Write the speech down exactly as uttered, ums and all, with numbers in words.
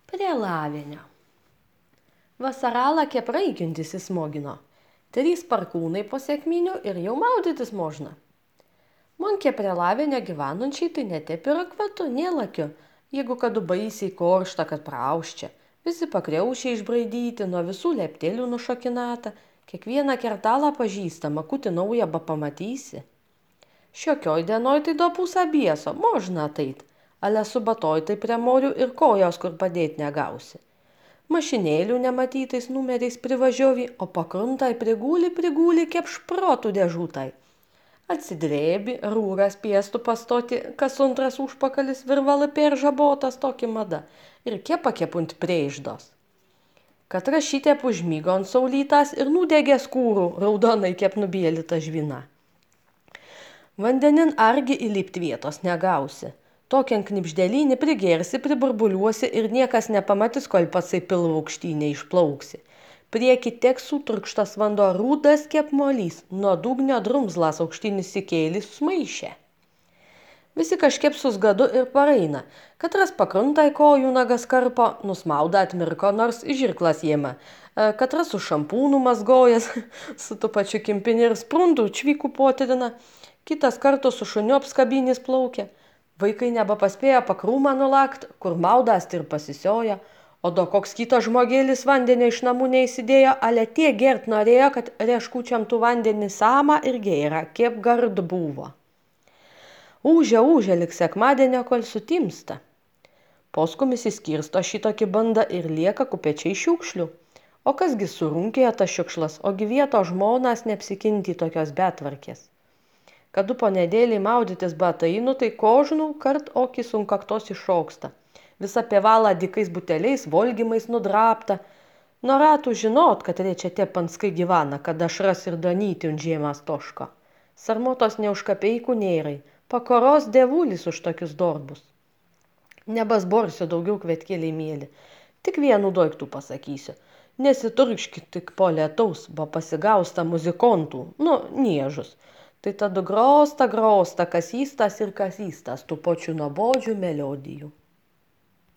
Prie lavenio. Vasaralą kepraikintis įsmogino. Trys parkūnai po sėkminių ir jau maudytis možna. Monkė prie lavenio gyvenančiai tai netep yra kvatu, nielakiu, jeigu kadu baisiai koršta, kad prauščia. Visi pakriaušiai išbraidyti, nuo visų leptelių nušokinata, kiekvieną kertalą pažįstama, kuti naują ba pamatysi. Šiokioj dienoj tai do pusę bieso, možna ateit, ale su batoj tai prie morių ir kojos kur padėt negausi. Mašinėlių nematytais numeriais privažiuovi, o pakruntai prigūli, prigūli kep šprotų dėžutai. Atsidrėbi, rūras piestų pastoti, kas antras užpakalis virvalai peržabotas tokį mada ir kepa kepunt prieiždos. Katra šitėp užmygo ant saulytas ir nudegė skūrų, raudonai kep nubėlyta žvina. Vandenin argi įlipt vietos negausi. Tokian knipždelynį prigersi, priburbuliuosi ir niekas nepamatys, kol patsai pilvo aukštynė išplauksi. Prieki teks sutrukštas vanduo rūdas kep molys, nuo dugnio drumzlas aukštinis įkėlis smaišė. Visi kažkiep susgadu ir pareina. Katras pakruntai kojų nagas karpo, nusmauda atmirko, nors žirklas jėma. Katras su šampūnu mazgojas, su tu pačiu kimpinį ir sprundų čvykų potirina. Kitas kartu su šuniu apskabinis plaukia. Vaikai nebepaspėjo pakrūmą nulakt, kur maudas ir pasisioja, o do koks kitas žmogėlis vandenį iš namų neįsidėjo, ale tie gert norėjo, kad reškučiam tų vandenį samą ir gėra, kiep gard buvo. Ūžia, ūžia lik sekmadienio, kol sutimsta. Poskumis įskirsto šitokį bandą ir lieka kupečiai šiukšlių. O kasgi surunkėja tas šiukšlas, ogi vieto žmonas neapsikinti tokios betvarkės. Kadu po nedėlį maudytis batainu, tai kožnų kart okis ant kaktos iššoksta. Visa pievala dikais buteliais, volgimais nudrapta. Norėtų žinot, kad reičia tie panskai gyvena, kad ašras ir danyti ant žiemas toško. Sarmotos neužkapeikų nėrai, pakoros devulis už tokius darbus. Nebasborsiu daugiau kvetkėliai mėly, tik vienu daiktų pasakysiu. Nesiturkškit tik po lietaus, bo pasigausta muzikontų, nu, niežus. Tai tada grosta, grosta, kasystas ir kasystas tų pačių nuobodžių melodijų.